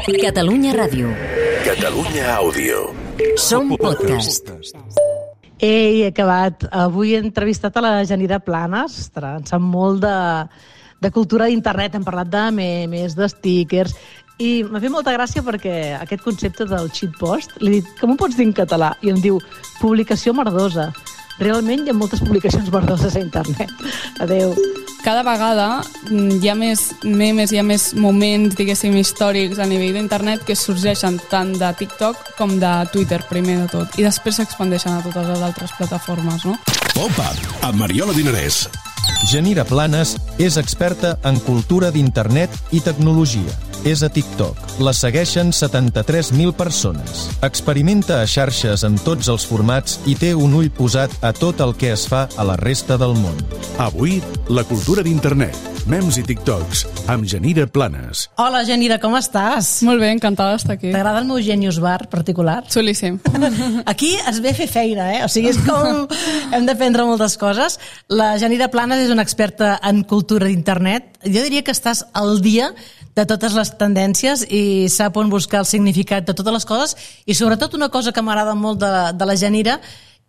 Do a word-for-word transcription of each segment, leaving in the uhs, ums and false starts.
Catalunya Ràdio. Catalunya Àudio. Som podcast. Ei, he acabat. Avui he entrevistat a la Janira Planes. Ostres, en sap molt de, de cultura d'internet. Hem parlat de memes, de stickers. I m'ha fet molta gràcia perquè aquest concepte del shitpost, li he dit, com ho pots dir en català? I em diu, publicació merdosa. Realment hi ha moltes publicacions merdoses a internet. Adéu. Cada vegada hi ha més memes, hi ha més moments, diguéssim, històrics a nivell d'internet que sorgeixen tant de TikTok com de Twitter, primer de tot, i després s'expandeixen a totes les altres plataformes, no? Pop-up, amb Mariola Dinarès. Janira Planes és experta en cultura d'internet i tecnologia. És a TikTok. La segueixen setanta-tres mil persones. Experimenta a xarxes en tots els formats i té un ull posat a tot el que es fa a la resta del món. Avui, la cultura d'internet, memes i TikToks, amb Janira Planes. Hola, Janira, com estàs? Molt bé, encantada d'estar aquí. T'agrada el meu Genius Bar particular? Xulíssim. Aquí es ve a fer feina, eh? O sigui, és com... Hem d'aprendre moltes coses. La Janira Planes és una experta en cultura d'internet. Jo diria que estàs al dia de totes les tendències i sap on buscar el significat de totes les coses, i sobretot una cosa que m'agrada molt de, de la Janira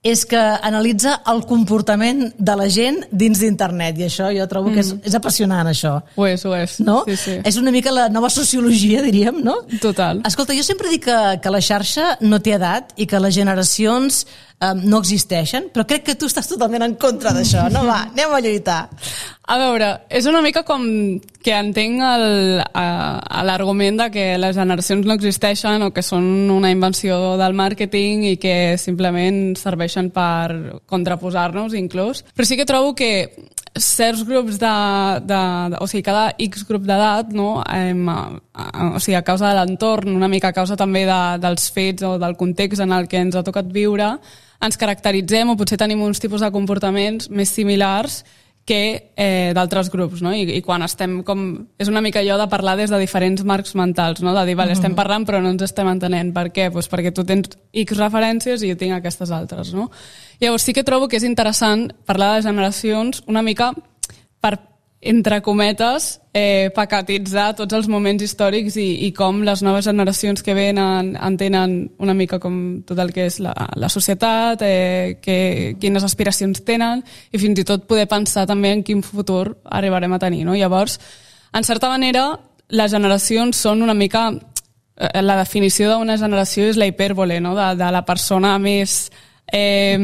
és que analitza el comportament de la gent dins d'internet, i això jo trobo que és, és apassionant, això. Ho és, ho és. No? Sí, sí. És una mica la nova sociologia, diríem, no? Total. Escolta, jo sempre dic que, que la xarxa no té edat i que les generacions um, no existeixen, però crec que tu estàs totalment en contra d'això. No, va, anem a lluitar. A veure, és una mica com que entenc el- a- a l'argument de que les generacions no existeixen o que són una invenció del màrqueting i que simplement serveixen per contraposar-nos inclús. Però sí que trobo que certs grups de... de, de o sigui, cada X grup d'edat, no? Em, a, a, o sigui, a causa de l'entorn, una mica a causa també de, dels fets o del context en el que ens ha tocat viure, ens caracteritzem o potser tenim uns tipus de comportaments més similars que eh, d'altres grups, no? I, i quan estem com... És una mica allò de parlar des de diferents marcs mentals, no? De dir, vale, estem parlant però no ens estem entenent. Per què? Pues perquè tu tens X referències i jo tinc aquestes altres, no? Llavors sí que trobo que és interessant parlar de generacions una mica per, entre cometes, eh, paquetitzar tots els moments històrics i, i com les noves generacions que venen entenen una mica com tot el que és la, la societat, eh, que, quines aspiracions tenen i fins i tot poder pensar també en quin futur arribarem a tenir, no? Llavors, en certa manera, les generacions són una mica... Eh, la definició d'una generació és la hipèrbole, no? De, de la persona més... Eh,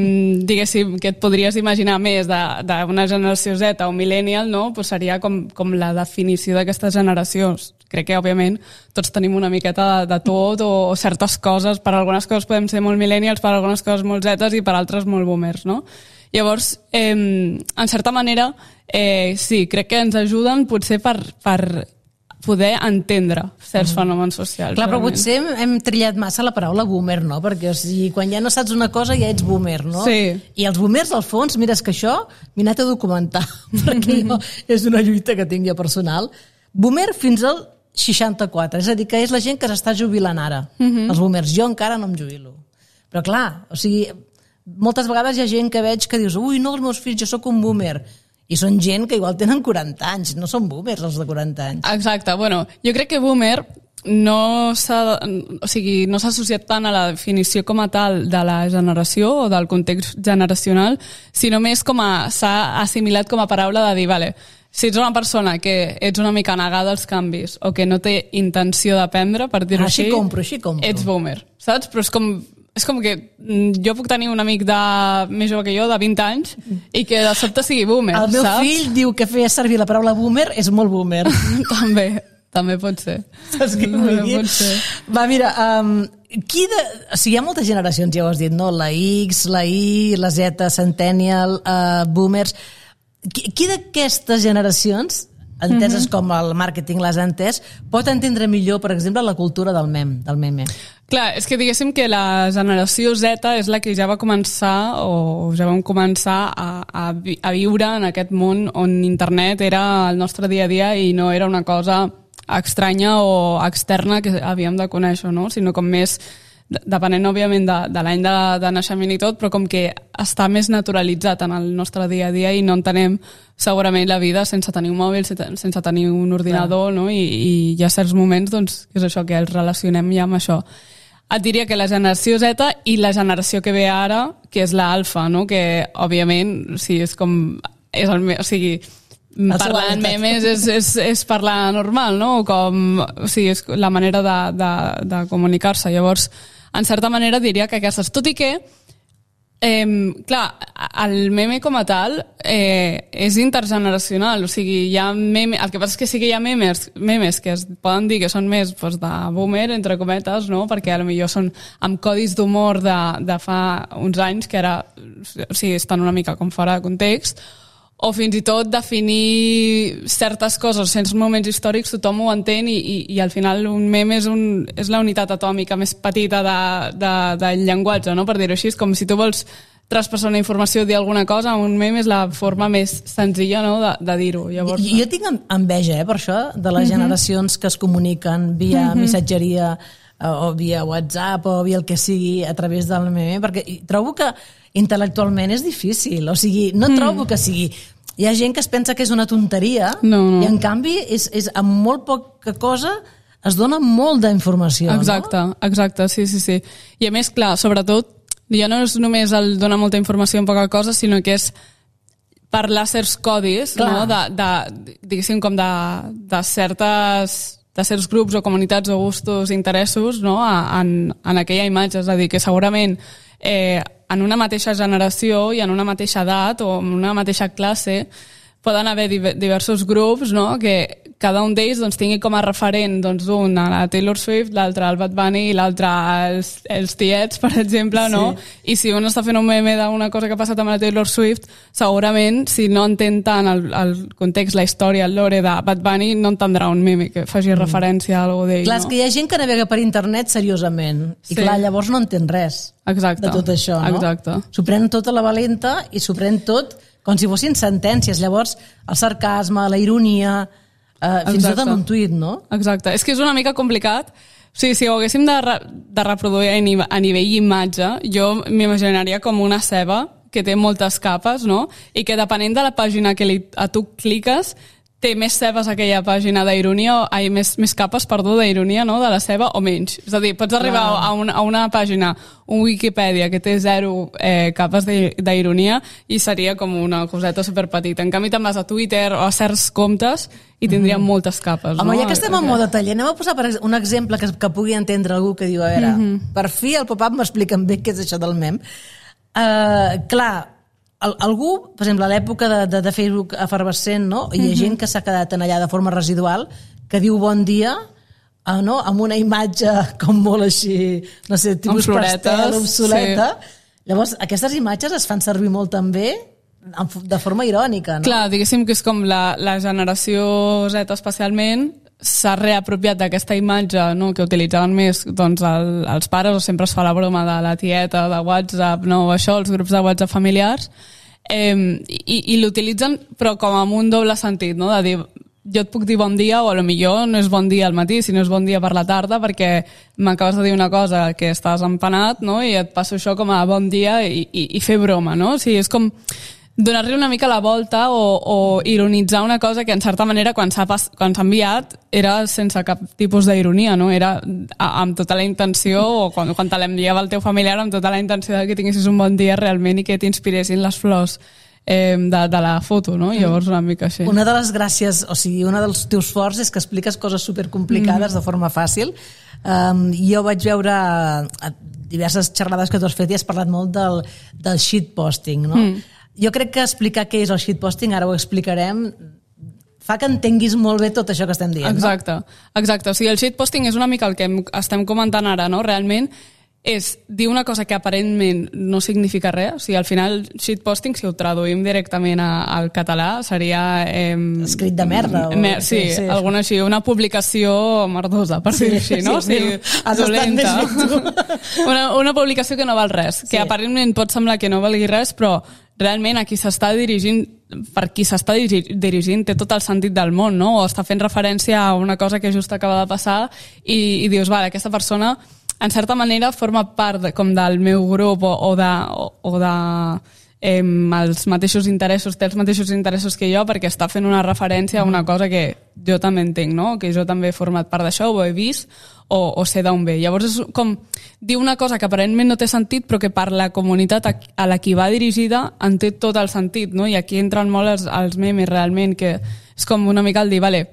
diguéssim, que et podries imaginar més d'una generació Z o millennial, no? Pues seria com, com la definició d'aquestes generacions. Crec que, òbviament, tots tenim una miqueta de, de tot o, o certes coses. Per algunes coses podem ser molt millennials, per algunes coses molt Zetes i per altres molt boomers, no? Llavors, eh, en certa manera, eh, sí, crec que ens ajuden potser per... per poder entendre certs fenòmens socials. Clar, però realment. potser hem, hem trillat massa la paraula boomer, no? Perquè o sigui, quan ja no saps una cosa ja ets boomer, no? Sí. I els boomers, al fons, mira, és que això m'he anat a documentar, perquè jo, és una lluita que tinc jo personal. Boomer fins al seixanta-quatre, és a dir, que és la gent que s'està jubilant ara. Els boomers, jo encara no em jubilo. Però clar, o sigui, moltes vegades hi ha gent que veig que dius, ui, no, els meus fills, jo sóc un boomer. I són gent que igual tenen quaranta anys, no són boomers els de quaranta anys. Exacte, bueno, jo crec que boomer no s'ha o sigui, no s'ha associat tant a la definició com a tal de la generació o del context generacional, sinó més com a s'ha assimilat com a paraula de dir, vale, si ets una persona que ets una mica negada als canvis o que no té intenció d'aprendre, per dir-ho Així així, compro, així compro. ets boomer, saps? Però és com... És com que jo puc tenir un amic de, més jove que jo, de vint anys, i que de sobte sigui boomer, El meu saps? fill diu que feia servir la paraula boomer, és molt boomer. també, també pot ser. Saps què vull També dir? pot ser. Va, mira, um, qui de... O sigui, hi ha moltes generacions, ja ho has dit, no? La X, la Y, la Z, Centennial, uh, boomers... Qui, qui d'aquestes generacions, enteses mm-hmm. com el màrqueting les ha entès, pot entendre millor, per exemple, la cultura del mem, del meme? Clar, és que diguéssim que la generació Z és la que ja va començar o ja vam començar a, a, vi a viure en aquest món on internet era el nostre dia a dia i no era una cosa estranya o externa que havíem de conèixer, no? Sinó com més depenent, òbviament, de, de l'any de, de naixement i tot, però com que està més naturalitzat en el nostre dia a dia i no entenem segurament la vida sense tenir un mòbil, sense tenir un ordinador, no? I, i hi ha certs moments, doncs, que és això, que els relacionem ja amb això. Et diria que la generació Z i la generació que ve ara, que és l'alfa, no? Que, òbviament, sí, és com... És el, o sigui, parlar en memes és, és, és parlar normal, no? Com, o sigui, és la manera de, de, de comunicar-se. Llavors, en certa manera diria que aquestes, tot i que eh, clar, el meme com a tal eh, és intergeneracional, o sigui, hi ha meme, el que passa és que sí que hi ha memes, memes que es poden dir que són més pues, de boomer, entre cometes, no? Perquè potser són amb codis d'humor de, de fa uns anys que ara, o sigui, estan una mica com fora de context, o fins i tot definir certes coses, certs moments històrics, tothom ho entén i, i, i al final un meme és, un, és la unitat atòmica més petita de, de, del llenguatge, no? Per dir-ho així, és com si tu vols traspassar una informació o dir alguna cosa, un meme és la forma més senzilla, no? de, de dir-ho. Llavors, jo tinc enveja, eh, per això, de les generacions que es comuniquen via uh-huh. missatgeria o via WhatsApp o via el que sigui a través del meme, perquè trobo que intel·lectualment és difícil, o sigui, no trobo que sigui... Hi ha gent que es pensa que és una tonteria no, no. i en canvi és, és amb molt poca cosa es dona molt d'informació. Exacte, no? exacte, sí, sí, sí. I a més, clar, sobretot, ja no és només el donar molta informació en poca cosa, sinó que és parlar certs codis, no? de, de, diguéssim, com de, de certes... de certs grups o comunitats o gustos, interessos, no? en, en aquella imatge. És a dir, que segurament eh, en una mateixa generació i en una mateixa edat o en una mateixa classe poden haver diversos grups, no? Que cada un d'ells doncs, tingui com a referent doncs, un a la Taylor Swift, l'altre al Bad Bunny i l'altre als els tiets, per exemple, sí. no? I si un està fent un meme d'una cosa que ha passat amb la Taylor Swift, segurament, si no entén tant el, el context, la història, el lore de Bad Bunny, no entendrà un meme que faci mm. referència a alguna d'ell. Clar, no? És que hi ha gent que navega per internet seriosament i sí. clar, llavors no entén res Exacte. de tot això, no? Exacte. S'ho pren tot a la valenta i s'ho pren tot com si fossin sentències. Llavors, el sarcasme, la ironia... Uh, fins i tot en un tuit, no? Exacte. És que és una mica complicat. O sigui, si ho haguéssim de, re de reproduir a nivell imatge, jo m'imaginaria com una ceba que té moltes capes, no? I que depenent de la pàgina que li, a tu cliques, té més cebes aquella pàgina d'ironia, o ai, més, més capes, perdó, d'ironia, no?, de la ceba, o menys. És a dir, pots arribar a, un, a una pàgina, un Wikipedia, que té zero eh, capes d'ironia i seria com una coseta superpetita. En canvi, te'n vas a Twitter o a certs comptes i tindríem mm. moltes capes. Home, no? ja que estem en moda taller, anem a posar per un exemple que, que pugui entendre algú que diu, a veure, mm -hmm. per fi el pop-up m'expliquen bé què és això del mem. Uh, clar, algú, per exemple, a l'època de, de, de Facebook efervescent, no? Hi ha uh-huh. gent que s'ha quedat en allà de forma residual, que diu bon dia, uh, no? Amb una imatge com molt així, no sé, tipus pastel, obsoleta. Sí. Llavors, aquestes imatges es fan servir molt també de forma irònica, no? Clar, diguéssim que és com la, la generació Z especialment s'ha reapropiat d'aquesta imatge, no?, que utilitzaven més doncs, el, els pares, o sempre es fa la broma de la tieta, de WhatsApp, no?, o això, els grups de WhatsApp familiars, eh, i, i l'utilitzen però com amb un doble sentit, no?, de dir, jo et puc dir bon dia, o a lo millor no és bon dia al matí, sinó és bon dia per la tarda, perquè m'acabes de dir una cosa que estàs empanat, no?, i et passo això com a bon dia i, i, i fer broma, no? O sigui, és com donar-li una mica la volta o, o ironitzar una cosa que en certa manera quan s'ha quan s'ha enviat era sense cap tipus d'ironia, no? Era a, amb tota la intenció, o quan, quan te l'enviava el teu familiar amb tota la intenció de que tinguessis un bon dia realment i que t'inspiressin les flors eh, de, de la foto, no? Llavors una mica així. Una de les gràcies, o sigui, una dels teus forts és que expliques coses supercomplicades mm. de forma fàcil. Um, jo vaig veure a diverses xerrades que tu has fet i has parlat molt del, del shitposting, no? Mm. Jo crec que explicar què és el shitposting, ara ho explicarem, fa que entenguis molt bé tot això que estem dient. Exacte, no? Exacte. O sigui, el shitposting és una mica el que estem comentant ara, no? Realment és dir una cosa que aparentment no significa res. O sigui, al final, shitposting, si ho traduïm directament a, al català, seria... Eh, escrit de merda. O... Mer sí, sí, sí, alguna així, una publicació merdosa, per sí, dir-ho així, no? Sí, o sigui, dolenta. una, una publicació que no val res, que sí. aparentment pot semblar que no valgui res, però realment a qui s'està dirigint, per qui s'està dirigint té tot el sentit del món, no? O està fent referència a una cosa que just acaba de passar i, i dius, vale, aquesta persona en certa manera forma part de, com del meu grup o, o de, o, o de eh, els mateixos interessos, té els mateixos interessos que jo, perquè està fent una referència a una cosa que jo també entenc, no? Que jo també he format part d'això, ho he vist, o, o sé d'on ve. Llavors és com dir una cosa que aparentment no té sentit, però que per la comunitat a, a la qui va dirigida en té tot el sentit, no? I aquí entren molt els, els memes realment, que és com una mica el dir, vale,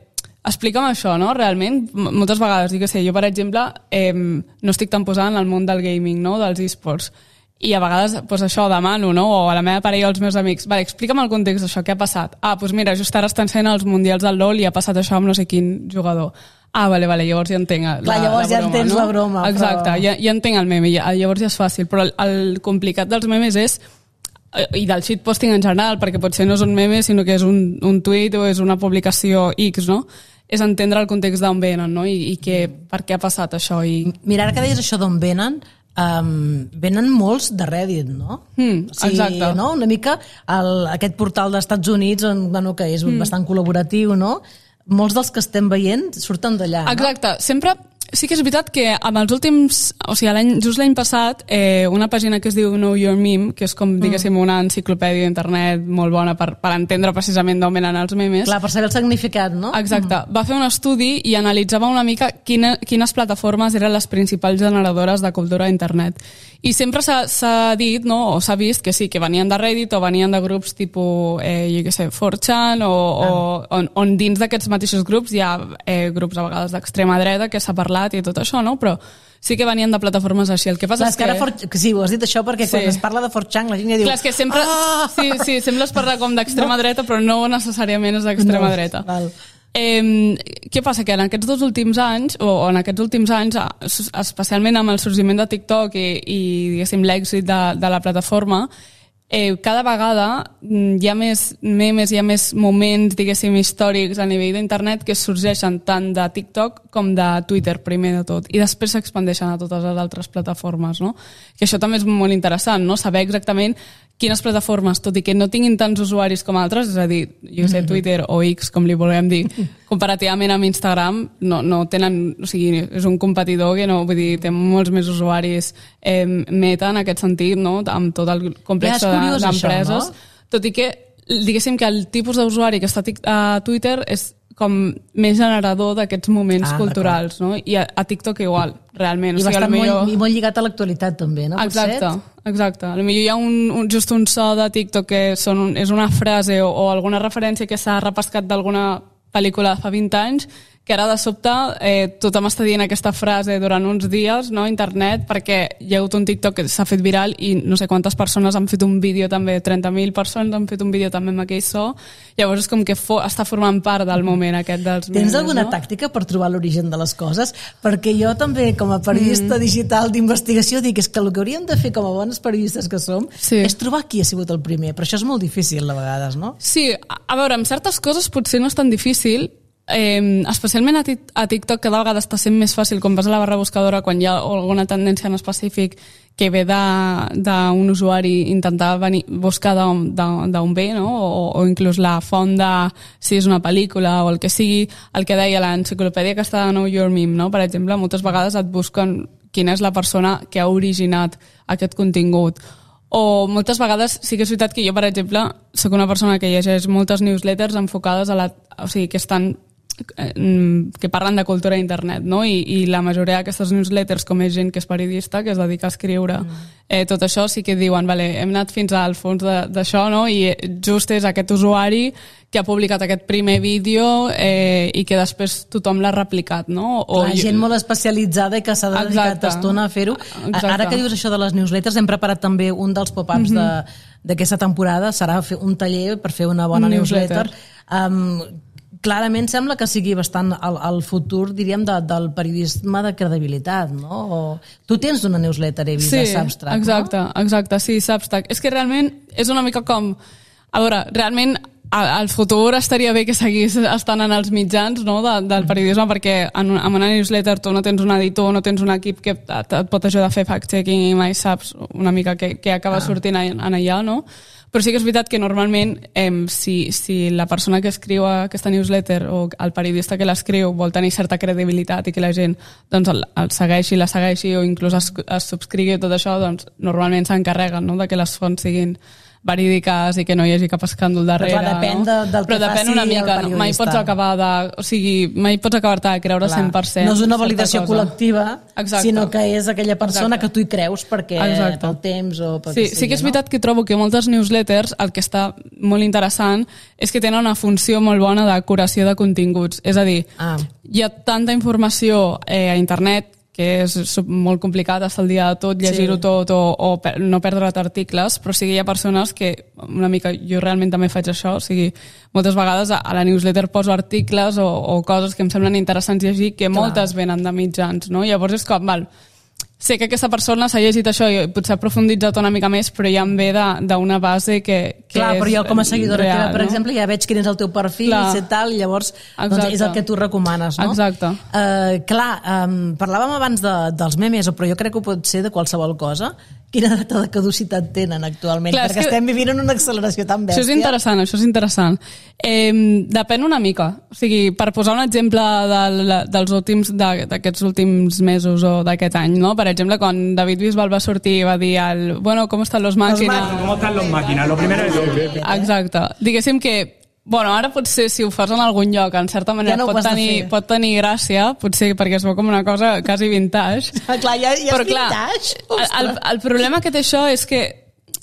explica'm això, no? Realment, moltes vegades, dic que sé, jo per exemple eh, no estic tan posada en el món del gaming, no? Dels esports, i a vegades pues, això demano, no? O a la meva parella o als meus amics, vale, explica'm el context d'això, què ha passat? Ah, doncs mira, just ara estan sent els mundials del LoL i ha passat això amb no sé quin jugador. Ah, vale, vale, llavors ja entenc la, Clar, llavors la broma, ja entens no? la broma. Exacte, però... ja, ja entenc el meme, ja, llavors ja és fàcil, però el, el complicat dels memes és, i del shitposting en general, perquè potser no és un meme, sinó que és un, un tuit o és una publicació X, no? És entendre el context d'on venen, no? I, i que, per què ha passat això. I... Mira, ara que deies això d'on venen, um, venen molts de Reddit, no? Mm, o sigui, exacte. No? Una mica el, aquest portal dels Estats Units, on, bueno, que és mm. bastant col·laboratiu, no? Molts dels que estem veient surten d'allà, no? Exacte. Sempre... Sí que és veritat que amb els últims... O sigui, l'any, just l'any passat, eh, una pàgina que es diu Know Your Meme, que és com, diguéssim, una enciclopèdia d'internet molt bona per, per entendre precisament d'on venen els memes. Clar, per saber el significat, no? Exacte. Mm. Va fer un estudi i analitzava una mica quina, quines plataformes eren les principals generadores de cultura a internet. I sempre s'ha dit, no, o s'ha vist que sí, que venien de Reddit o venien de grups tipus, eh, jo què sé, four chan, o, ah. o on, on dins d'aquests mateixos grups hi ha eh, grups a vegades d'extrema dreta que s'ha parlat i tot això, no? Però sí que venien de plataformes així. El que passa Clar, és que... Ara for... Sí, ho has dit això perquè sí. Quan es parla de four chan la gent ja diu... Clar, és que sempre... Ah! Sí, sí, sempre es parla com d'extrema no. dreta, però no necessàriament és d'extrema no. dreta. Val. Eh, què passa? Que en aquests dos últims anys, o en aquests últims anys, especialment amb el sorgiment de TikTok i, i diguéssim, l'èxit de, de la plataforma, eh, cada vegada hi ha més memes, hi ha més moments, diguéssim, històrics a nivell d'internet que sorgeixen tant de TikTok com de Twitter, primer de tot, i després s'expandeixen a totes les altres plataformes, no? Que això també és molt interessant, no? Saber exactament quines plataformes, tot i que no tinguin tants usuaris com altres, és a dir, jo sé, Twitter o X, com li volem dir, comparativament amb Instagram, no, no tenen, o sigui, és un competidor que no, vull dir, té molts més usuaris eh, meta en aquest sentit, no? Amb tot el complex ja, d'empreses. No? Tot i que, diguéssim que el tipus d'usuari que està a Twitter és com més generador d'aquests moments ah, culturals, no? I a, a TikTok igual, realment. I o sigui, bastant millor... molt, molt lligat a l'actualitat també, no? Exacte, exacte. Potser hi ha un, un, just un so de TikTok que són, és una frase o, o alguna referència que s'ha repescat d'alguna pel·lícula de fa vint anys, que ara de sobte eh, tothom està dient aquesta frase durant uns dies, no, a internet, perquè hi ha hagut un TikTok que s'ha fet viral i no sé quantes persones han fet un vídeo també, trenta mil persones han fet un vídeo també amb aquell so, llavors és com que fo, està formant part del moment aquest dels memes. Tens alguna no? tàctica per trobar l'origen de les coses? Perquè jo també, com a periodista mm. digital d'investigació, dic és que el que hauríem de fer com a bons periodistes que som sí. és trobar qui ha sigut el primer, però això és molt difícil a vegades, no? Sí, a veure, amb certes coses potser no és tan difícil. Eh, especialment a, a TikTok cada vegada està sent més fàcil quan vas a la barra buscadora, quan hi ha alguna tendència en específic que ve d'un usuari intentar venir, buscar d'on ve, no? o, o inclús la font de si és una pel·lícula o el que sigui, el que deia l'enciclopèdia que està de Know Your Meme, no? Per exemple, moltes vegades et busquen quina és la persona que ha originat aquest contingut. O moltes vegades sí que és veritat que jo, per exemple, sóc una persona que llegeix moltes newsletters enfocades a la... O sigui, que estan que parlen de cultura a internet, no? I, i la majoria d'aquestes newsletters, com és gent que és periodista, que es dedica a escriure mm. eh, tot això, sí que diuen, vale, hem anat fins al fons d'això, no? I just és aquest usuari que ha publicat aquest primer vídeo eh, i que després tothom l'ha replicat, no? O la gent molt especialitzada i que s'ha dedicat estona a fer-ho. Ara que dius això de les newsletters, hem preparat també un dels pop-ups mm-hmm. d'aquesta temporada, serà fer un taller per fer una bona newsletter. newsletter. Um, Clarament sembla que sigui bastant el, el futur, diríem, de, del periodisme de credibilitat, no? O, tu tens una newsletter, he vist, sí, de Substack, exacte, no? exacte, sí, Substack. És que realment és una mica com... A veure, realment al futur estaria bé que seguís estant en els mitjans, no, de, del periodisme, perquè en, en una newsletter tu no tens un editor, no tens un equip que et, et pot ajudar a fer fact-checking i mai saps una mica què, què acaba ah. sortint en allà, no? Però sí que és veritat que normalment eh, si, si la persona que escriu aquesta newsletter o el periodista que l'escriu vol tenir certa credibilitat i que la gent doncs, el, el segueixi, la segueixi o inclús es, es subscrigui tot això, doncs normalment s'encarreguen, no?, de que les fonts siguin verídiques i que no hi hagi cap escàndol darrere. Però clar, depèn de, del Però que depèn faci una mica, el periodista. Mai pots acabar de... O sigui, mai pots acabar-te de creure clar. cent per cent. No és una validació col·lectiva, exacte. sinó que és aquella persona exacte. que tu hi creus perquè exacte. pel temps o pel sí, que sigui. Sí que és no? veritat que trobo que moltes newsletters el que està molt interessant és que tenen una funció molt bona de curació de continguts. És a dir, ah. hi ha tanta informació eh, a internet que és molt complicat estar al dia de tot, llegir-ho sí. tot o, o per, no perdre't articles, però sí que hi ha persones que, una mica, jo realment també faig això, o sigui, moltes vegades a, a la newsletter poso articles o, o coses que em semblen interessants llegir que Clar. moltes venen de mitjans, no? Llavors és com, val, sé que aquesta persona s'ha llegit això i potser ha aprofunditzat una mica més, però ja em ve d'una base que, que Clar, és però jo com a seguidora real, teva, per no? exemple, ja veig quin és el teu perfil clar. i tal, i llavors doncs, és el que tu recomanes, no? Exacte. Uh, clar, um, parlàvem abans de, dels memes, però jo crec que ho pot ser de qualsevol cosa. Quina data de caducitat tenen actualment? Clar, perquè que... estem vivint en una acceleració tan bèstia. Això és interessant, això és interessant. Eh, depèn una mica. O sigui, per posar un exemple del, dels últims, d'aquests últims mesos o d'aquest any, no? Per exemple, quan David Bisbal va sortir i va dir el, bueno, com estan los màquines? Com estan los màquines? Lo primero es... Exacte. Diguéssim que bueno, ara potser si ho fas en algun lloc, en certa manera ja no pot, tenir, pot tenir gràcia, potser perquè es veu com una cosa quasi vintage. Ah, clar, ja, ja però, és vintage. Clar, el, el problema que té això és que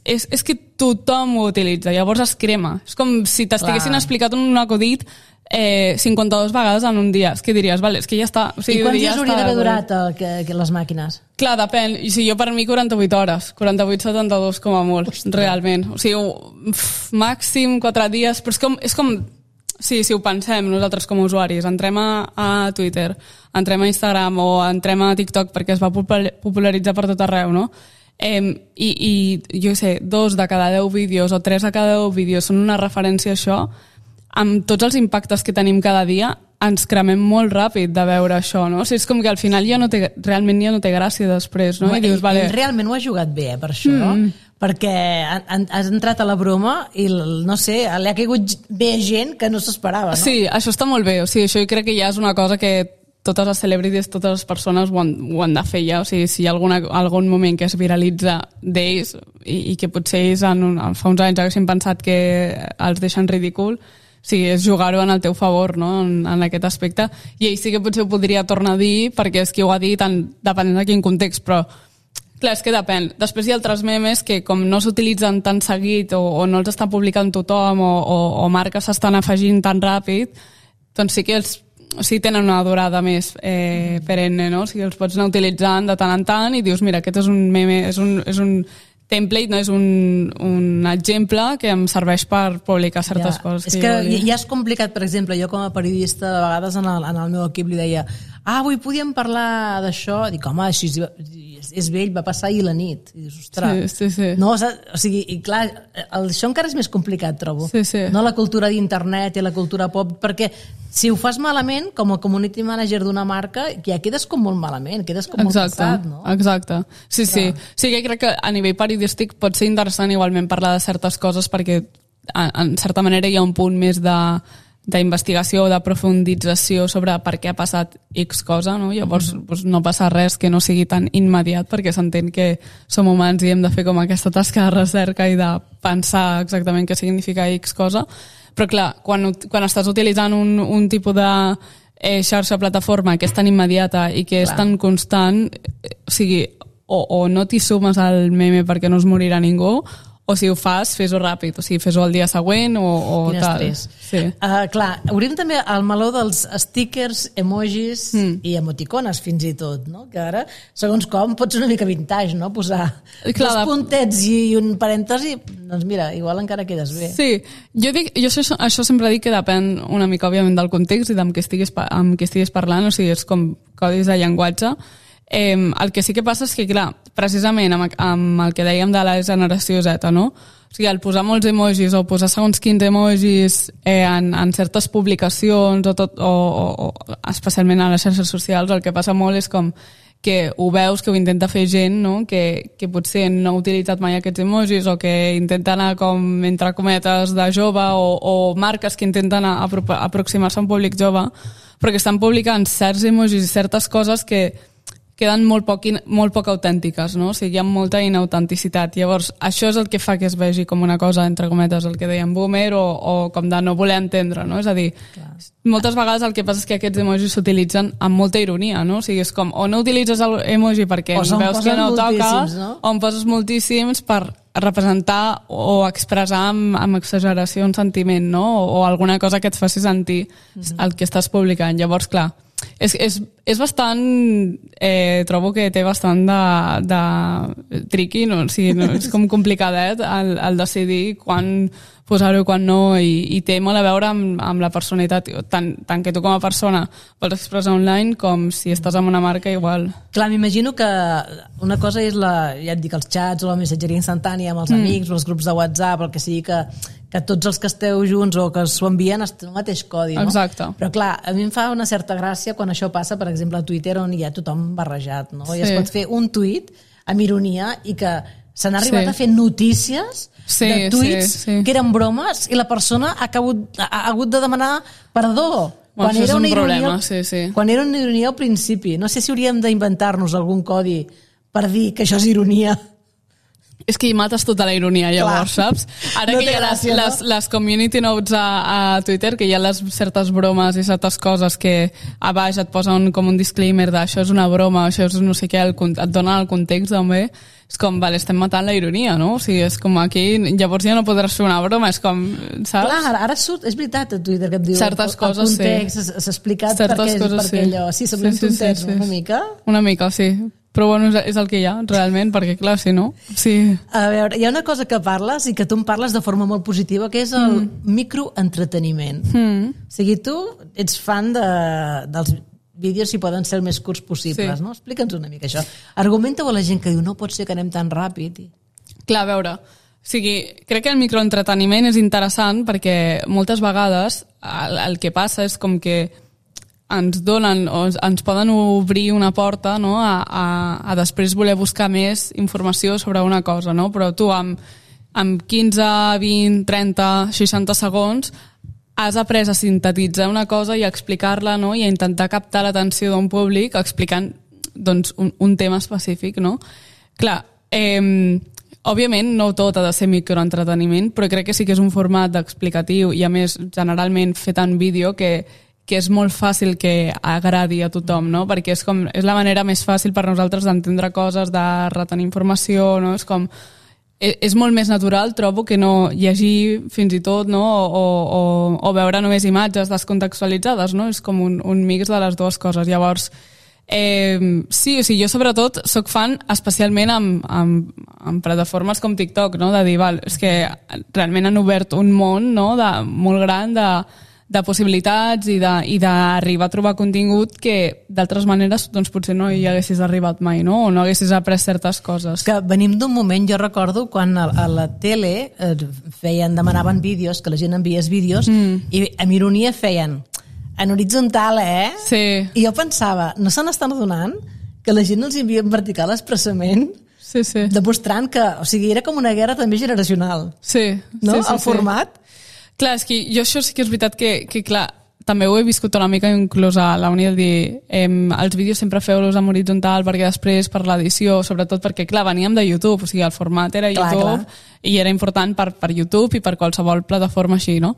és, és que tothom ho utilitza, llavors es crema. És com si t'estiguessin explicat un acudit eh, cinquanta-dues vegades en un dia. És que diries, vale, és que ja està. O sigui, I quants ja dies hauria d'haver durat el, que, que les màquines? Clar, depèn. I si jo per mi quaranta-vuit hores, quaranta-vuit setanta-dos com a molt, Ostres. realment. O sigui, pff, màxim quatre dies, però és com, és com sí, si ho pensem nosaltres com a usuaris, entrem a, a Twitter, entrem a Instagram o entrem a TikTok perquè es va popularitzar per tot arreu, no? Eh, i, i jo sé, dos de cada deu vídeos o tres de cada deu vídeos són una referència a això, amb tots els impactes que tenim cada dia ens cremem molt ràpid de veure això, no? O sigui, és com que al final ja no té, realment ja no té gràcia després, no? I, I dius, vale... realment ho ha jugat bé, eh, per això, mm. perquè has entrat a la broma i, no sé, li ha caigut bé gent que no s'esperava, no? Sí, això està molt bé, o sigui, això jo crec que ja és una cosa que totes les celebrities, totes les persones ho han, ho han de fer ja, o sigui, si hi ha alguna, algun moment que es viralitza d'ells i, i que potser ells en un, fa uns anys haguessin pensat que els deixen ridícul, o sigui, és jugar-ho en el teu favor, no?, en, en aquest aspecte, i ell sí que potser ho podria tornar a dir perquè és qui ho ha dit en, depenent de quin context, però clar, és que depèn. Després hi ha altres memes que com no s'utilitzen tan seguit o, o no els està publicant tothom o, o, o marques s'estan afegint tan ràpid, doncs sí que els o sigui, tenen una durada més eh, perenne, no? O sigui, els pots anar utilitzant de tant en tant i dius, mira, aquest és un meme, és un, és un template, no? És un, un exemple que em serveix per publicar certes ja. coses. És que, que ja és complicat, per exemple, jo com a periodista, de vegades en el, en el meu equip li deia, ah, avui podíem parlar d'això, dic, home, així és, és vell, va passar ahir la nit. I dius, ostres. Sí, sí, sí. No, o sigui, i clar, el, això encara és més complicat, trobo. Sí, sí. No la cultura d'internet i la cultura pop, perquè si ho fas malament, com a community manager d'una marca, ja quedes com molt malament, quedes com exacte, molt passat, no? Exacte, sí, sí. Sí que crec que a nivell periodístic pot ser interessant igualment parlar de certes coses perquè en certa manera hi ha un punt més de d'investigació o de profundització sobre per què ha passat X cosa, no? Llavors mm. doncs no passa res que no sigui tan immediat perquè s'entén que som humans i hem de fer com aquesta tasca de recerca i de pensar exactament què significa X cosa, però clar, quan, quan estàs utilitzant un, un tipus de eh, xarxa plataforma que és tan immediata i que clar. és tan constant, eh, o sigui, o, o no t'hi sumes al meme perquè no es morirà ningú, o si ho fas, fes-ho ràpid, o sigui, fes-ho el dia següent o, o Quin tal. Sí. Uh, clar, obrim també el meló dels stickers, emojis mm. i emoticones fins i tot, no? Que ara, segons com, pot ser una mica vintage, no? Posar clar, dos puntets i un parèntesi, doncs mira, igual encara quedes bé. Sí, jo, dic, jo això, això sempre dic que depèn una mica, òbviament, del context i amb què estiguis, amb què estiguis parlant, o sigui, és com codis de llenguatge. Eh, el que sí que passa és que, clar, precisament amb, amb el que dèiem de la generació Z, no? O sigui, el posar molts emojis o posar segons quins emojis eh, en, en certes publicacions o, tot, o, o, o especialment a les xarxes socials, el que passa molt és com que ho veus, que ho intenta fer gent, no? que, que potser no ha utilitzat mai aquests emojis o que intenta anar com entre cometes de jove o, o marques que intenten apro aproximar-se a un públic jove, però que estan publicant certs emojis i certes coses que queden molt poc, molt poc autèntiques, no? O sigui, hi ha molta inautenticitat. Llavors, això és el que fa que es vegi com una cosa, entre cometes, el que dèiem boomer o, o com de no voler entendre, no? És a dir, clar, moltes vegades el que passa és que aquests emojis s'utilitzen amb molta ironia, no? O sigui, és com, o no utilitzes l'emoji perquè veus que no toca, no? O en poses moltíssims per representar o expressar amb, amb exageració un sentiment, no? O, o alguna cosa que et faci sentir mm-hmm. el que estàs publicant. Llavors, clar, És, és, és bastant, eh, trobo que té bastant de, de tricky, no? O sigui, no, és com complicadet el, el decidir quan posar-ho i quan no, i, i té molt a veure amb, amb la personalitat, tant, tant que tu com a persona vols expressar online com si estàs amb una marca igual. Clar, m'imagino que una cosa és la, ja et dic, els xats o la missatgeria instantània amb els mm. amics o els grups de WhatsApp, el que sigui que, que tots els que esteu junts o que s'ho envien estan el mateix codi, no? Exacte. Però clar, a mi em fa una certa gràcia quan això passa, per exemple, a Twitter, on hi ha tothom barrejat, no? Sí. I es pot fer un tuit amb ironia i que s'han arribat sí. a fer notícies sí, de tuits sí, sí. que eren bromes i la persona ha, acabut, ha hagut de demanar perdó. Bueno, quan era una ironia, problema, sí, sí. Quan era una ironia al principi. No sé si hauríem d'inventar-nos algun codi per dir que això és ironia. És que hi mates tota la ironia, llavors, clar. Saps? Ara no que hi ha gràcia, les, no? les, les community notes a, a Twitter, que hi ha les certes bromes i certes coses que a baix et posen com un disclaimer d'això és una broma, això és no sé què, el, et donen el context també, és com, vale, estem matant la ironia, no? O sigui, és com aquí, llavors ja no podràs fer una broma, és com, saps? Clar, ara, ara surt, és veritat a Twitter que et diu certes el, coses, el context, sí. s'ha explicat certes per què, coses, per què sí. allò. Sí, semblem sí, sí, tontets, sí, sí. una mica. Una mica, sí. Però bueno, és el que hi ha, realment, perquè clar, si no... Sí. A veure, hi ha una cosa que parles i que tu em parles de forma molt positiva, que és el mm. microentreteniment. Mm. O sigui, tu ets fan de, dels vídeos si poden ser el més curts possibles, sí. no? Explica'ns una mica això. Argumenta-ho a la gent que diu no pot ser que anem tan ràpid. I... Clar, a veure, o sigui, crec que el microentreteniment és interessant perquè moltes vegades el, el que passa és com que ens donen o ens poden obrir una porta, no? a, a, a després voler buscar més informació sobre una cosa, no? Però tu amb, amb quinze, vint, trenta, seixanta segons has après a sintetitzar una cosa i a explicar-la, no? I a intentar captar l'atenció d'un públic explicant doncs, un, un tema específic, no? Clar, eh, òbviament no tot ha de ser microentreteniment, però crec que sí que és un format explicatiu i a més generalment fet en vídeo que que és molt fàcil que agradi a tothom, no? Perquè és, com, és la manera més fàcil per nosaltres d'entendre coses, de retenir informació, no? És com... És molt més natural, trobo, que no llegir fins i tot, no? O, o, o veure només imatges descontextualitzades, no? És com un, un mix de les dues coses. Llavors, eh, sí, o sigui, jo sobretot soc fan especialment amb, amb, amb plataformes com TikTok, no? De dir, val, és que realment han obert un món, no? De, molt gran de de possibilitats i d'arribar a trobar contingut que d'altres maneres doncs potser no hi haguessis arribat mai, no? O no haguessis après certes coses. Que venim d'un moment, jo recordo quan a, a la tele eh, feien, demanaven vídeos, que la gent enviés vídeos mm. i amb ironia feien en horitzontal, eh? Sí. I jo pensava, no se n'estan adonant que la gent els envia en vertical expressament? Sí, sí. Demostrant que, o sigui, era com una guerra també generacional. Sí. No? Sí, sí, el format. Sí. Clar, és que jo això sí que és veritat que, que clar, també ho he viscut una mica inclús a la uni del dir eh, els vídeos sempre feu-los en horitzontal perquè després per l'edició, sobretot perquè clar, veníem de YouTube, o sigui, el format era clar, YouTube clar. I era important per, per YouTube i per qualsevol plataforma així, no?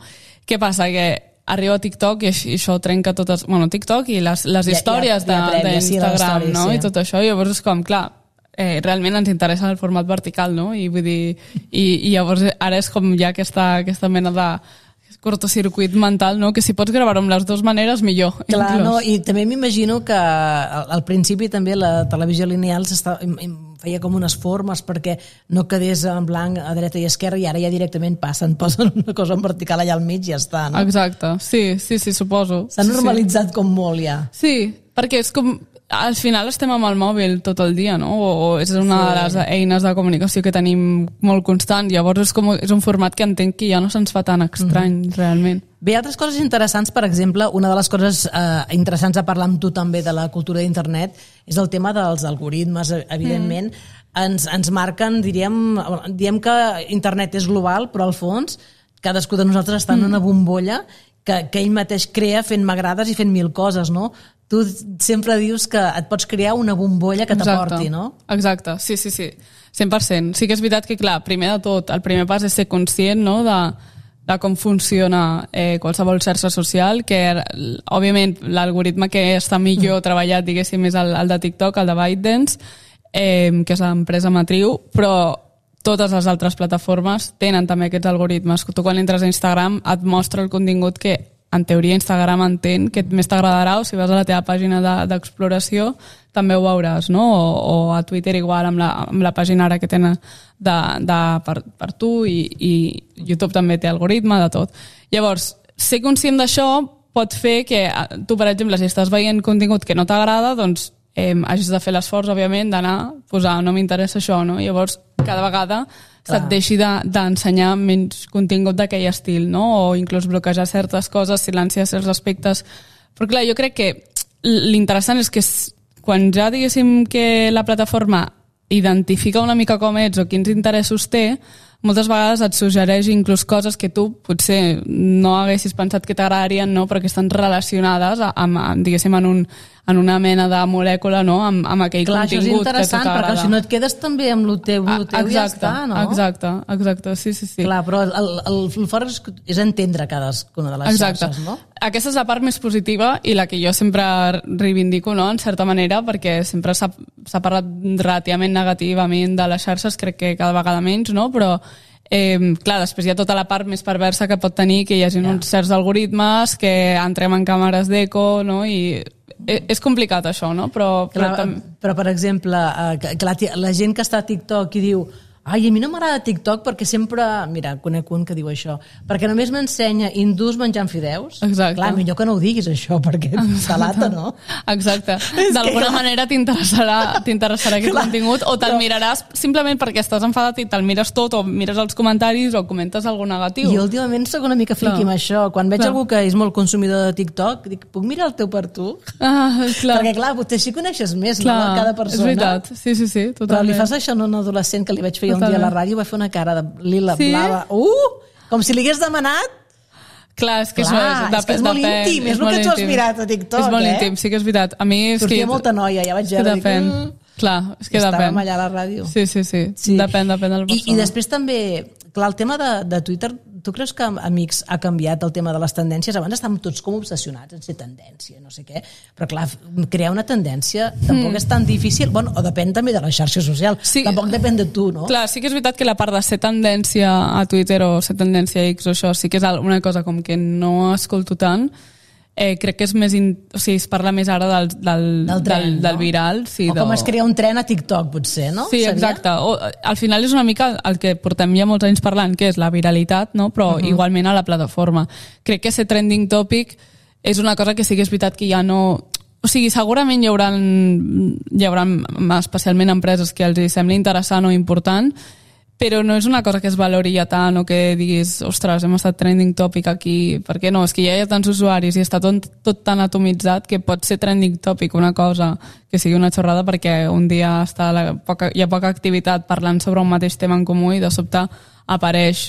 Què passa? Que arriba a TikTok i això trenca totes... Bueno, TikTok i les, les històries d'Instagram, sí, no? Sí. I tot això, i llavors és com, clar, Eh, realment ens interessa el format vertical, no? I vull dir, i, i llavors ara és com ja aquesta, aquesta mena de cortocircuit mental, no? Que si pots gravar-ho amb les dues maneres, millor. Clar, inclús. No? I també m'imagino que al, al principi també la televisió lineal feia com unes formes perquè no quedés en blanc a dreta i esquerra i ara ja directament passen, posen una cosa en vertical allà al mig i ja està, no? Exacte, sí, sí, sí, suposo. S'ha normalitzat sí. com molt ja. Sí, perquè és com... al final estem amb el mòbil tot el dia, no? O, o és una sí. de les eines de comunicació que tenim molt constant. Llavors és, com, és un format que entenc que ja no se'ns fa tan estrany, mm-hmm. realment. Bé, altres coses interessants, per exemple, una de les coses eh, interessants a parlar amb tu també de la cultura d'internet és el tema dels algoritmes, evidentment. Mm. Ens, ens marquen, diríem, diem que internet és global, però al fons cadascú de nosaltres està en una bombolla que, que ell mateix crea fent m'agrades i fent mil coses, no? Tu sempre dius que et pots crear una bombolla que t'aporti, no? Exacte, sí, sí, sí, cent per cent. Sí que és veritat que, clar, primer de tot, el primer pas és ser conscient, no?, de, de com funciona eh, qualsevol xarxa social, que, òbviament, l'algoritme que està millor mm. treballat, diguéssim, és el, el de TikTok, el de ByteDance, eh, que és l'empresa matriu, però totes les altres plataformes tenen també aquests algoritmes. Tu quan entres a Instagram et mostra el contingut que en teoria Instagram entén que més t'agradarà, o si vas a la teva pàgina d'exploració també ho veuràs, no? O, o a Twitter igual amb la, amb la pàgina ara que tenen de, de, per, per tu i, i YouTube també té algoritme de tot. Llavors, ser conscient d'això pot fer que tu, per exemple, si estàs veient contingut que no t'agrada, doncs eh, hagis de fer l'esforç, òbviament, d'anar a posar no m'interessa això, no? Llavors, cada vegada se't deixi d'ensenyar de, menys contingut d'aquell estil, no? O inclús bloquejar certes coses, silenciar certs aspectes. Però clar, jo crec que l'interessant és que quan ja diguéssim que la plataforma identifica una mica com ets o quins interessos té, moltes vegades et suggereix inclús coses que tu potser no haguessis pensat que t'agradarien, no? Però que estan relacionades amb, amb, diguéssim, en, un, en una mena de molècula, no? amb, amb aquell clar, contingut que a tu t'agrada. Clar, això és interessant, perquè si no et quedes també amb el teu, el teu exacte, ja està, no? Exacte, exacte, sí, sí, sí. Clar, però el, el, el fort és, és entendre cadascuna de les exacte. Xarxes, no? Aquesta és la part més positiva i la que jo sempre reivindico, no?, en certa manera, perquè sempre s'ha parlat relativament negativament de les xarxes, crec que cada vegada menys, no?, però Eh, clar, després hi ha tota la part més perversa que pot tenir que hi hagi yeah. uns certs algoritmes que entrem en càmeres d'eco, no? I és complicat això, no? Però, clar, però, però per exemple, eh, clar, la gent que està a TikTok i diu ai, a mi no m'agrada TikTok perquè sempre... Mira, conec un que diu això. Perquè només m'ensenya hindús menjant fideus. Exacte. Clar, millor que no ho diguis, això, perquè salata, no? Exacte. D'alguna que... manera t'interessarà t'interessarà aquest clar, contingut o te'l però... miraràs simplement perquè estàs enfadat i te'l mires tot o mires els comentaris o comentes algun negatiu. I últimament soc una mica friqui amb això. Quan veig clar. algú que és molt consumidor de TikTok, dic, puc mirar el teu per tu? Ah, clar. Perquè, clar, potser sí coneixes més, clar, no?, cada persona. És veritat. Sí, sí, sí, totalment. Però li fas això a un adolescent que li vaig fer un dia a la ràdio, va fer una cara de lila, sí? blava, uh, com si li hagués demanat. Clar, és que clar, això és, és, que és molt íntim, és, és el que tu has mirat a TikTok, és molt eh? íntim, sí que és veritat. A mi és sortia que... molta noia, ja vaig veure. Depèn. Mm, clar, és que estàvem depèn. allà a la ràdio. Sí, sí, sí, sí. Depèn, depèn de la persona. I, I després també, clar, el tema de, de Twitter, tu creus que, amics, ha canviat el tema de les tendències? Abans estàvem tots com obsessionats en ser tendència, no sé què, però clar, crear una tendència tampoc mm. és tan difícil, bueno, o depèn també de la xarxa social, sí, tampoc depèn de tu, no? Clar, sí que és veritat que la part de ser tendència a Twitter o ser tendència a X o això, sí que és una cosa com que no escolto tant. Eh, crec que és més in... o sigui, es parla més ara del, del, del, tren, del, del no? viral. Sí, o com es crea un tren a TikTok, potser, no? Sí, exacte. O, al final és una mica el que portem ja molts anys parlant, que és la viralitat, no? Però uh-huh. igualment a la plataforma. Crec que ser trending topic és una cosa que sí que és veritat que ja no... O sigui, segurament hi haurà, hi haurà especialment empreses que els sembli interessant o important, però no és una cosa que es valori ja tant o que diguis, ostres, hem estat trending topic aquí, perquè no, és que ja hi ha tants usuaris i està tot, tot tan atomitzat que pot ser trending topic una cosa que sigui una xorrada perquè un dia està la, poca, hi ha poca activitat parlant sobre un mateix tema en comú i de sobte apareix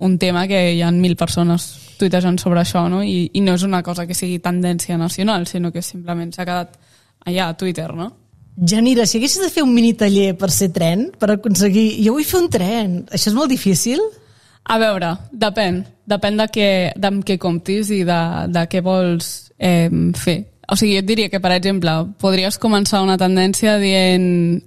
un tema que hi ha mil persones tuitejant sobre això, no? I, i no és una cosa que sigui tendència nacional, sinó que simplement s'ha quedat allà a Twitter, no? Janira, si haguessis de fer un mini taller per ser tren, per aconseguir... Jo vull fer un tren. Això és molt difícil? A veure, depèn. Depèn de què, de què comptis i de, de què vols eh, fer. O sigui, jo et diria que, per exemple, podries començar una tendència dient...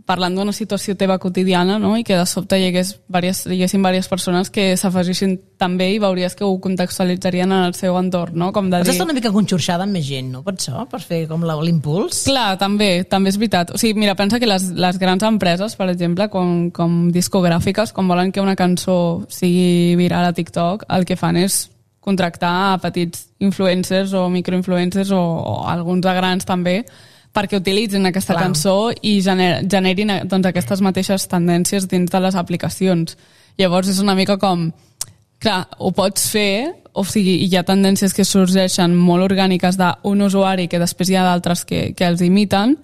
parlant d'una situació teva quotidiana, no? I que de sobte hi hagués diverses, hi haguessin diverses persones que s'afegissin també i veuries que ho contextualitzarien en el seu entorn, no? Com de dir... Has d'estar una mica conxorxada amb més gent, no? Per això? Per fer com l'impuls? Clar, també, també és veritat. O sigui, mira, pensa que les, les grans empreses, per exemple, com, com discogràfiques, quan volen que una cançó sigui viral a TikTok, el que fan és contractar a petits influencers o microinfluencers o, o alguns de grans també, perquè utilitzin aquesta Clar. cançó i gener, generin doncs, aquestes mateixes tendències dins de les aplicacions. Llavors és una mica com, clar, ho pots fer, o sigui, hi ha tendències que sorgeixen molt orgàniques d'un usuari que després hi ha d'altres que, que els imiten,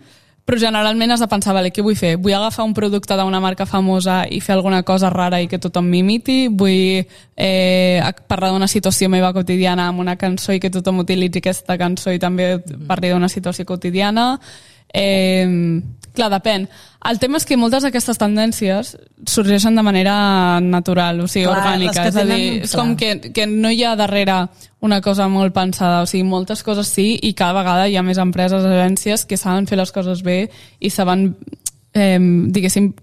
però generalment has de pensar, vale, què vull fer? Vull agafar un producte d'una marca famosa i fer alguna cosa rara i que tothom m'imiti? Vull eh, parlar d'una situació meva quotidiana amb una cançó i que tothom utilitzi aquesta cançó i també parli d'una situació quotidiana? Eh, clar, depèn. El tema és que moltes d'aquestes tendències sorgeixen de manera natural, o sigui, Clar, orgànica. les que És a dir, tenen- és com que, que no hi ha darrere una cosa molt pensada, o sigui, moltes coses sí, i cada vegada hi ha més empreses, agències que saben fer les coses bé i saben, eh, diguéssim,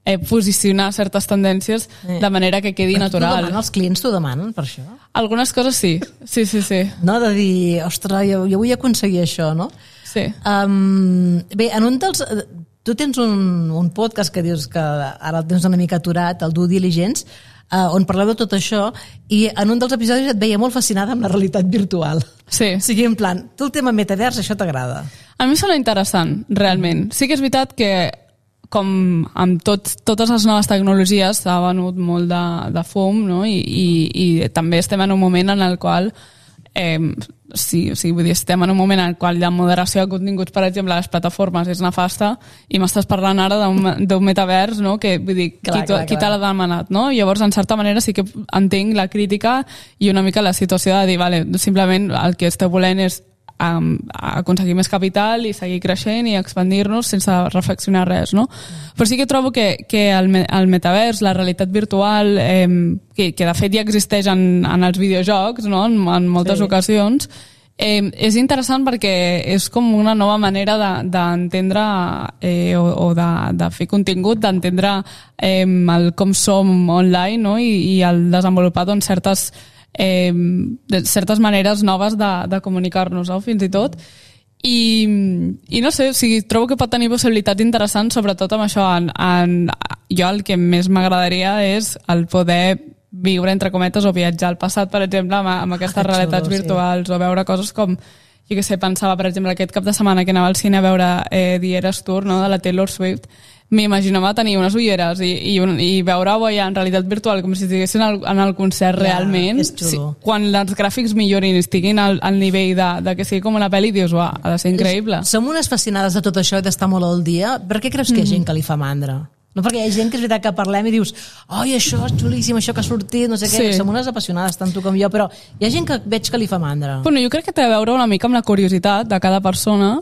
eh, posicionar certes tendències Eh. de manera que quedi Però t'ho natural. demanen, els clients t'ho demanen per això? Algunes coses sí, sí, sí, sí. No, de dir, ostres, jo, jo vull aconseguir això, no? sí. Um, bé, en un dels... Tu tens un, un podcast que dius que ara el tens una mica aturat, el Due Diligence, uh, on parleu de tot això, i en un dels episodis et veia molt fascinada amb la realitat virtual. Sí. O sigui, en plan, tu el tema metavers, això t'agrada? A mi sona interessant, realment. Sí que és veritat que com amb tot, totes les noves tecnologies s'ha venut molt de, de fum, no? I, i, i també estem en un moment en el qual eh, sí, o sigui, vull dir, estem en un moment en el qual la moderació de continguts, per exemple, a les plataformes és nefasta i m'estàs parlant ara d'un metavers, no? Que vull dir, Clar, qui, clar, qui te l'ha demanat, no? Llavors, en certa manera, sí que entenc la crítica i una mica la situació de dir, vale, simplement el que esteu volent és um, aconseguir més capital i seguir creixent i expandir-nos sense reflexionar res, no? Però sí que trobo que, que el, el metavers, la realitat virtual, eh, que, que de fet ja existeix en, en els videojocs, no? en, en moltes Sí. ocasions, eh, és interessant perquè és com una nova manera d'entendre de, eh, o, o de, de fer contingut, d'entendre eh, el com som online, no? I, i el desenvolupar doncs, certes Eh, de certes maneres noves de, de comunicar-nos, no? Fins i tot i, i no sé, o sigui, trobo que pot tenir possibilitats interessants, sobretot amb això en, en, jo el que més m'agradaria és el poder viure entre cometes o viatjar al passat, per exemple, amb, amb aquestes Ah, que realitats xulo, sí. virtuals o veure coses com, jo què sé, pensava per exemple aquest cap de setmana que anava al cine a veure eh, The Eras Tour, no? De la Taylor Swift, m'imaginava tenir unes ulleres i, i, un, i veure-ho ja en realitat virtual com si estiguessin en el, en el concert Ja, realment. és xulo. Sí, quan els gràfics millorin i estiguin al, al nivell de, de que sigui com una pel·li, dius, uah, ha de ser increïble. Som unes fascinades de tot això i d'estar molt al dia. Per què creus que hi ha gent que li fa mandra? No, perquè hi ha gent que és veritat que parlem i dius oi, això és xulíssim, això que ha sortit, no sé què. Sí. Som unes apassionades, tant tu com jo, però hi ha gent que veig que li fa mandra. Bueno, jo crec que té a veure una mica amb la curiositat de cada persona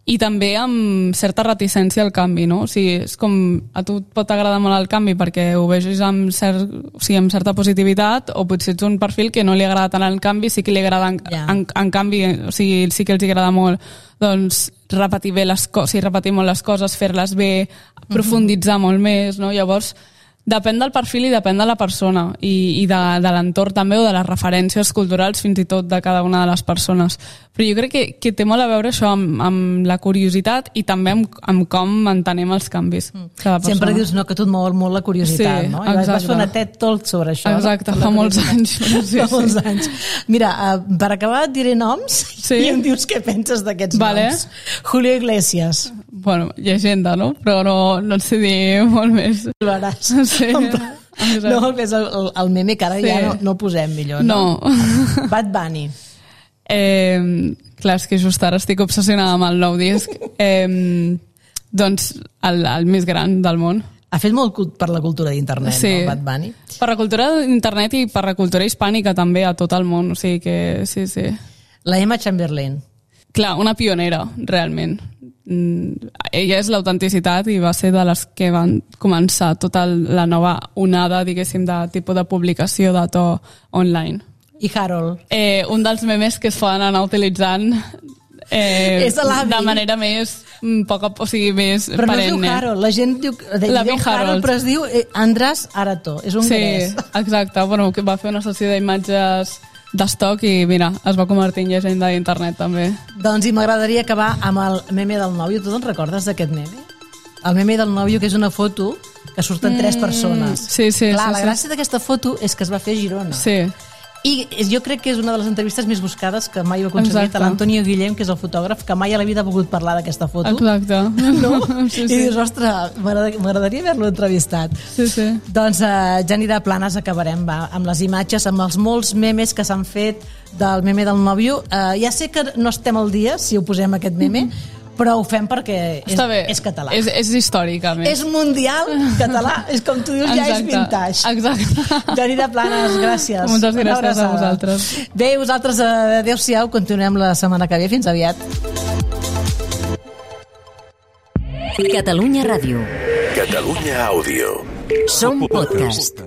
i també amb certa reticència al canvi, no? O sigui, és com, a tu et pot agradar molt el canvi perquè ho vegis amb, cert, o sigui, amb certa positivitat, o potser ets un perfil que no li agrada tant el canvi, sí que li agrada en, Ja. en, en canvi, o sigui, sí que els agrada molt doncs, repetir bé les coses, o sigui, repetir molt les coses, fer-les bé, profunditzar molt més, no? Llavors, depèn del perfil i depèn de la persona i, i de, de l'entorn també o de les referències culturals fins i tot de cada una de les persones. Però jo crec que, que té molt a veure això amb, amb la curiositat i també amb, amb com entenem els canvis. Cada persona. Sempre dius no, que tu et mou molt la curiositat, Sí, no? I vas exacte. fer una TED Talk sobre això. Exacte, no? fa La molts curiositat. anys. Sí, fa sí. molts anys. Mira, uh, per acabar et diré noms Sí. i em dius què penses d'aquests Vale. noms. Julio Iglesias. Bueno, llegenda, no? Però no, no et sé dir molt més. Ho veràs. Sí. En plan- Exacte. No, que és el, el, el meme que ara Sí. ja no, no posem millor. No. No. Bad Bunny. Eh, clar, és que just ara estic obsessionada amb el nou disc. Eh, doncs el, el més gran del món. Ha fet molt cult per la cultura d'internet, Sí. no, Bad Bunny? Per la cultura d'internet i per la cultura hispànica també a tot el món. O sigui que sí, sí. La Emma Chamberlain. Clar, una pionera, realment. Mm, ella és l'autenticitat i va ser de les que van començar tota la nova onada, diguéssim, de tipus de publicació de to online. I Harold. Eh, un dels memes que es poden anar utilitzant eh, És l'avi. de manera més mm, poc, o sigui, més Però no es perenne. diu Harold, la gent diu, diu L'avi Harold, Harold. però es diu eh, András Arato, és un Sí, gres. exacte. Bueno, que va fer una sessió d'imatges d'estoc i mira, es va convertir en llegenda d'internet també. Doncs i m'agradaria acabar amb el meme del nòvio. Tu te'n recordes d'aquest meme? El meme del nòvio, que és una foto que surten mm, tres persones. sí, sí, Clar, sí, la sí. gràcia d'aquesta foto és que es va fer a Girona. Sí, I jo crec que és una de les entrevistes més buscades que mai ho ha aconseguit. Exacte. A l'Antonio Guillem, que és el fotògraf, que mai a la vida ha volgut parlar d'aquesta foto. Exacte. No? Sí, I sí. dius, ostres, m'agrada- m'agradaria haver-lo entrevistat. Sí, sí. Doncs, uh, Jani de Planes, acabarem va, amb les imatges, amb els molts memes que s'han fet del meme del nòvio. Uh, ja sé que no estem al dia si ho posem aquest meme, però ho fem perquè és, Està bé. és català. És, és històric, a més. És mundial català, és com tu dius, ja és Exacte. vintage. Exacte. Jani de Planes, gràcies. Moltes Una gràcies a abraçada. vosaltres. Bé, vosaltres, eh, adéu-siau, continuem la setmana que ve. Fins aviat. Catalunya Ràdio. Catalunya Àudio. Som podcast.